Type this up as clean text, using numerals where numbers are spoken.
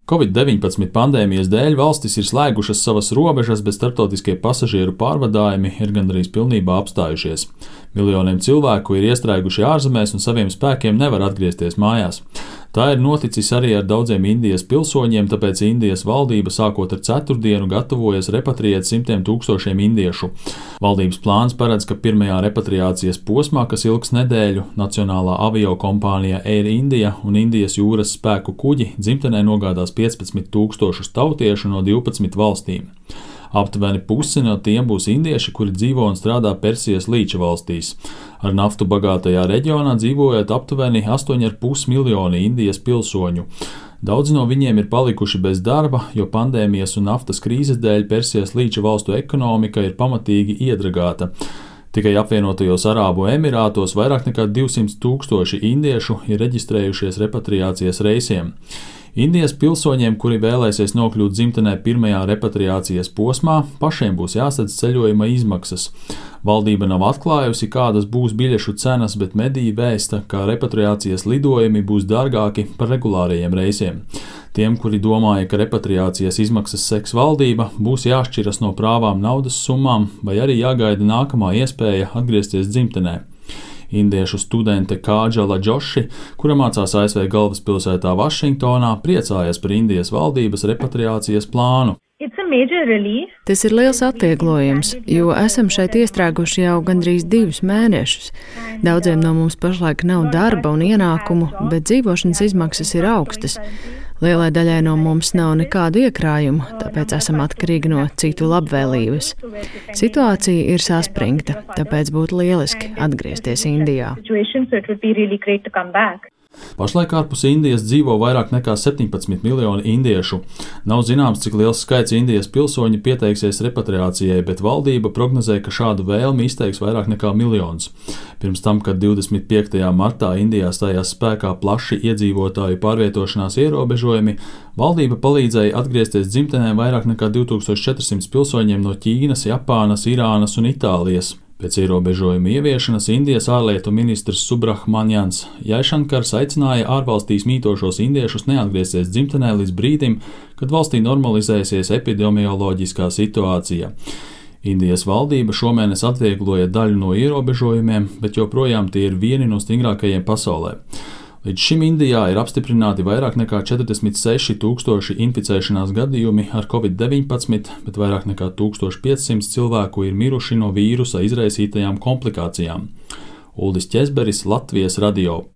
Covid-19 pandēmijas dēļ valstis ir slēgušas savas robežas, bet starptautiskie pasažieru pārvadājumi ir gandrīz pilnībā apstājušies. Miljoniem cilvēku ir iestrēguši ārzemēs un saviem spēkiem nevar atgriezties mājās. Tā ir noticis arī ar daudziem Indijas pilsoņiem, tāpēc Indijas valdība sākot ar ceturtdienu gatavojas repatriēt simtiem tūkstošiem indiešu. Valdības plāns paredz, ka pirmajā repatriācijas posmā, kas ilgs nedēļu, nacionālā aviokompānija Air India un Indijas jūras spēku kuģi dzimtenē nogādās 15 tūkstošus tautiešu no 12 valstīm. Aptuveni pusi no tiem būs indieši, kuri dzīvo un strādā Persijas līča valstīs. Ar naftu bagātajā reģionā dzīvojot aptuveni 8,5 miljoni Indijas pilsoņu. Daudzi no viņiem ir palikuši bez darba, jo pandēmijas un naftas krīzes dēļ Persijas līča valstu ekonomika ir pamatīgi iedragāta. Tikai apvienotajos Arābu Emirātos vairāk nekā 200 tūkstoši indiešu ir reģistrējušies repatriācijas reisiem. Indijas pilsoņiem, kuri vēlēsies nokļūt dzimtenē pirmajā repatriācijas posmā, pašiem būs jāsadz ceļojuma izmaksas. Valdība nav atklājusi, kādas būs biļešu cenas, bet mediji vēsta, ka repatriācijas lidojumi būs dārgāki par regulārajiem reisiem. Tiem, kuri domāja, ka repatriācijas izmaksas seks valdība, būs jāšķiras no prāvām naudas summām vai arī jāgaida nākamā iespēja atgriezties dzimtenē. Indiešu studente Kādžala Džoši, kura mācās ASV galvaspilsētā Vašingtonā, priecājas par Indijas valdības repatriācijas plānu. Tas ir liels atvieglojums, jo esam šeit iestrēguši jau gandrīz 2 mēnešus. Daudziem no mums pašlaik nav darba un ienākumu, bet dzīvošanas izmaksas ir augstas. Lielai daļai no mums nav nekādu iekrājumu, tāpēc esam atkarīgi no citu labvēlības. Situācija ir saspringta, tāpēc būtu lieliski atgriezties Indijā. Pašlaik ārpus Indijas dzīvo vairāk nekā 17 miljoni indiešu. Nav zināms, cik liels skaits Indijas pilsoņi pieteiksies repatriācijai, bet valdība prognozē, ka šādu vēlmi izteiks vairāk nekā 1 miljons. Pirms tam, kad 25. martā Indijā stājās spēkā plaši iedzīvotāju pārvietošanās ierobežojumi, valdība palīdzēja atgriezties dzimtenē vairāk nekā 2400 pilsoņiem no Ķīnas, Japānas, Irānas un Itālijas. Pēc ierobežojuma ieviešanas Indijas ārlietu ministrs Subrahmaņans Jaišankars aicināja ārvalstīs mītošos indiešus neatgriezties dzimtenē līdz brīdim, kad valstī normalizēsies epidemioloģiskā situācija. Indijas valdība šomēnes atviegloja daļu no ierobežojumiem, bet joprojām tie ir vieni no stingrākajiem pasaulē. Līdz šim Indijā ir apstiprināti vairāk nekā 46 tūkstoši inficēšanās gadījumi ar Covid-19, bet vairāk nekā 1500 cilvēku ir miruši no vīrusa izraisītajām komplikācijām. Uldis Ķezberis, Latvijas radio.